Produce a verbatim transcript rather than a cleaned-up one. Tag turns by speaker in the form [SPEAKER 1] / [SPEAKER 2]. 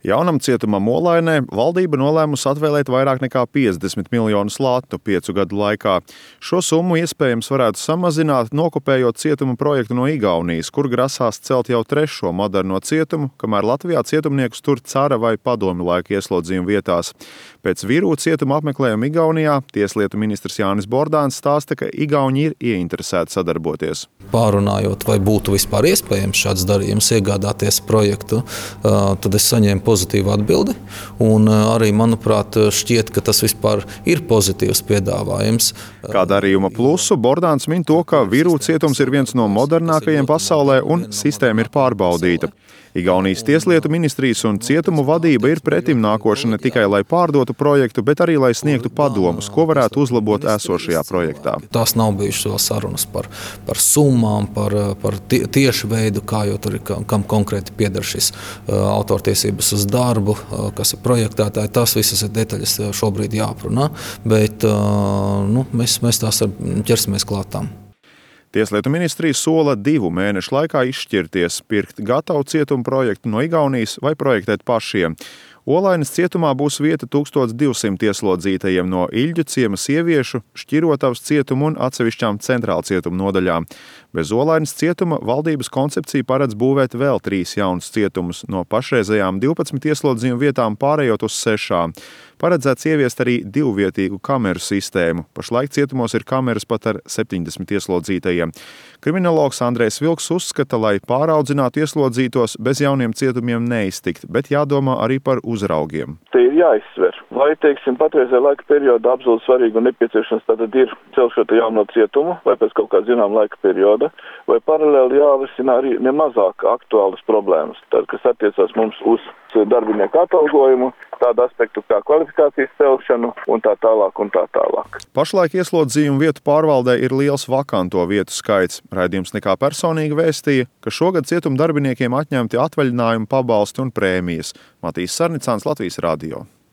[SPEAKER 1] Jaunam cietumam Olainē valdība nolēmusi atvēlēt vairāk nekā piecdesmit miljonus latu piecu gadu laikā. Šo summu iespējams varētu samazināt, nokopējot cietuma projektu no Igaunijas, kur grasās celt jau trešo moderno cietumu, kamēr Latvijā cietumniekus tur cara vai padomju laika ieslodzījuma vietās. Pēc Virū cietuma apmeklējuma Igaunijā tieslietu ministrs Jānis Bordāns stāsta, ka Igauni ir ieinteresēti sadarboties.
[SPEAKER 2] Pārunājot, vai būtu vispār iespējams šāds darījums iegādāties projektu, tad es saņēmu pozitīvu atbildi. Un arī, manuprāt, šķiet, ka tas vispār ir pozitīvs piedāvājums.
[SPEAKER 1] Kā darījuma plusu Bordāns min to, ka Virū cietums ir viens no modernākajiem pasaulē un sistēma ir pārbaudīta. Igaunijas tieslietu ministrijas un cietumu vadība ir pretim nākoša ne tikai, lai pārdotu projektu, bet arī, lai sniegtu padomus, ko varētu uzlabot esošajā projektā.
[SPEAKER 2] Tās nav bijušas vēl sarunas par, par summām, par, par tie, tieši veidu, kā jau tur ir, kam konkrēti pieder šis uh, autortiesības uz darbu, uh, kas ir projektētāji. Tās visas ir detaļas šobrīd jāprunā, bet uh, nu, mēs, mēs tās ķersimies klātām.
[SPEAKER 1] Tieslietu ministrija sola divu mēnešu laikā izšķirties, pirkt gatavu cietumu projektu no Igaunijas vai projektēt pašiem. Olainas cietumā būs vieta tūkstoš divsimt ieslodzītajiem no Iļģu ciema sieviešu, Šķirotavas cietuma un atsevišķām centrāla cietuma nodaļām. Bez Olainas cietuma valdības koncepcija paredz būvēt vēl trīs jaunus cietumus, no pašreizējām divpadsmit ieslodzījuma vietām pārējot uz sešām. Paredzēts ieviest arī divvietīgu kameru sistēmu. Pašlaik cietumos ir kameras pat ar septiņdesmit ieslodzītajiem. Kriminologs Andrejs Vilks uzskata, lai pāraudzinātu ieslodzītos, bez jauniem cietumiem neiztikt, bet jādomā arī par uzraugiem.
[SPEAKER 3] Te ir jāizsver, vai, teiksim, patreizē laika perioda absolūti svarīgi un nepieciešams tātad ir celt šo jauno cietumu, vai pēc kaut kā zinām laika perioda, vai paralēli jārisina arī nemazāk aktuālas problēmas, tad, kas attiecās mums uz darbinieku atalgojumu, tādu aspektu kā kvalifikācijas celšanu un tā tālāk un tā tālāk.
[SPEAKER 1] Pašlaik ieslodzījumu vietu pārvaldē ir liels vakanto vietu skaits. Raidījums Nekā personīgi vēstīja, ka šogad cietuma darbiniekiem atņemti atvaļinājumu pabalsti un prēmijas. Matīs Sarnicāns, Latvijas radio.